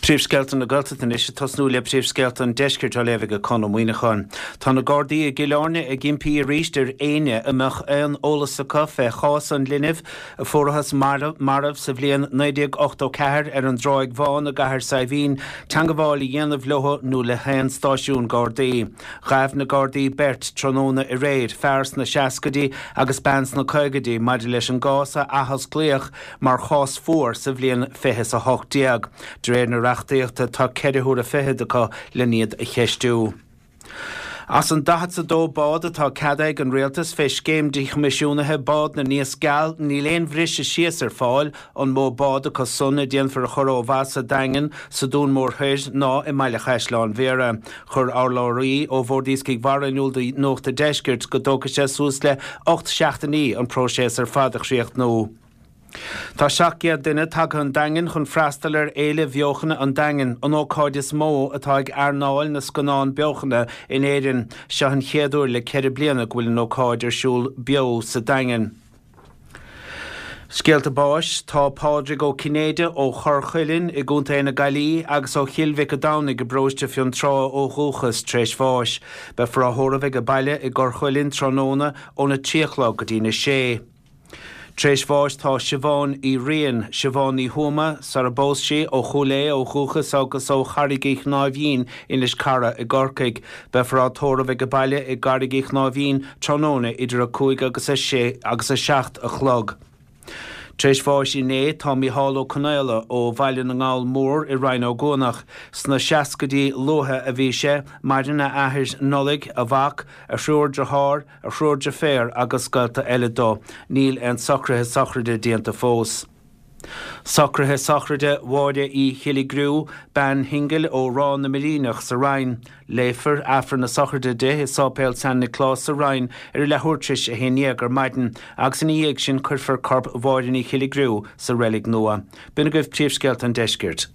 Príomhscéalta na Gaeltachta anois ag tosnú le príomhscéalta an Deiscirt á léamh ag Conn Ó Muíneacháin. Tá na Gardaí i gCill Airne ag impí arís ar éinne a mbeadh aon eolas acu fé chás an linbh a fuarathas marbh sa bhliain 1984 ar an dTráigh Bhán i gCathair Saidhbhín teangabháil a dhéanamh leo nó le haon stáisiún Gardaí. Ghabh na Gardaí beirt tráthnóna aréir, fear sna seascaidí agus bean sna caogaidí, maidir leis an gcás a athosclaíodh mar chás fuar sa bhliain 2018. De réir na reachtaíochta tá ceithre huaire fichead acu len iad a cheistiú. As an 42 bád atá ceadaithe ag an Rialtas fé scéim díchoimisiúnaithe bád na nIasc Geal níl aon bhriseadh síos ar fáil an mó bád acu san a déanfar a chur ó mhaith sa Daingean, sa Dún Mór Thoir ná i mBaile Chaisleáin Bhéarra. Chuir urlabhraí ó Bhord Iascaigh Mhara in iúl do Nuacht an Deiscirt go dtógfaidh sé suas le 8 seachtainí an próiseas ar fad a chríochnú. Tá 700 duine tagtha 'on Daingean chun freastal ar Fhéile Bheochana an Daingin, an ócáid is mó atá ag earnáil na scannán beochana in Éirinn. Seo an chéad uair le ceithre bliana go bhfuil an ócáid ar siúl beo sa Daingean. Scéalta báis, Tá Pádraig Ó Cinnéide ó Chorr Chuilinn i gContae na Gaillimhe agus ó Chill Mhic a' Domhnaigh i bparóiste Fionntrá ó dhúchas, tar éis bháis. Beifear á thórramh ag baile i gCorr Chuilinn tráthnóna óna 3 a chlog go dtína 6. Tar éis bháis tá Siobhán Uí Riain, Siobhán Ní Thuama, sara bpós sí, ó Chúil Aodha ó dhúchas agus ó Charraig Uí Chnáimhín, Inis Cara i gCorcaigh. Beifear á tórramh ag baile i gCarraig Uí Chnáimhín tráthnóna idir 5 agus 6 agus 7 a chlog. Tar éis bháis inné tá Mícheál Ó Conaola ó Bhaile na nGall Mór i Rinn Ó gCuanach. Sna seascaidí luatha a bhí sé, maireann a athair Nollaig, a mhac, a thriúr dearthár, a thriúr deirféar agus gaolta eile dó. Níl aon socruithe sochraide déanta fós. Socruithe sochraide Mháire Uí Chilligriú, bean shingil ó Ráth na Muiríneach sa Rinn. Léifear Aifreann na sochraide di i Sáipéal San Nioclás sa Rinn ar a leathuair tar éis a 11 ar maidin agus ina dhiaidh sin cuirfear corp Mháire Ní Chilligriú sa reilig nua. B'in agaibh príomhscéalta an deiscirt.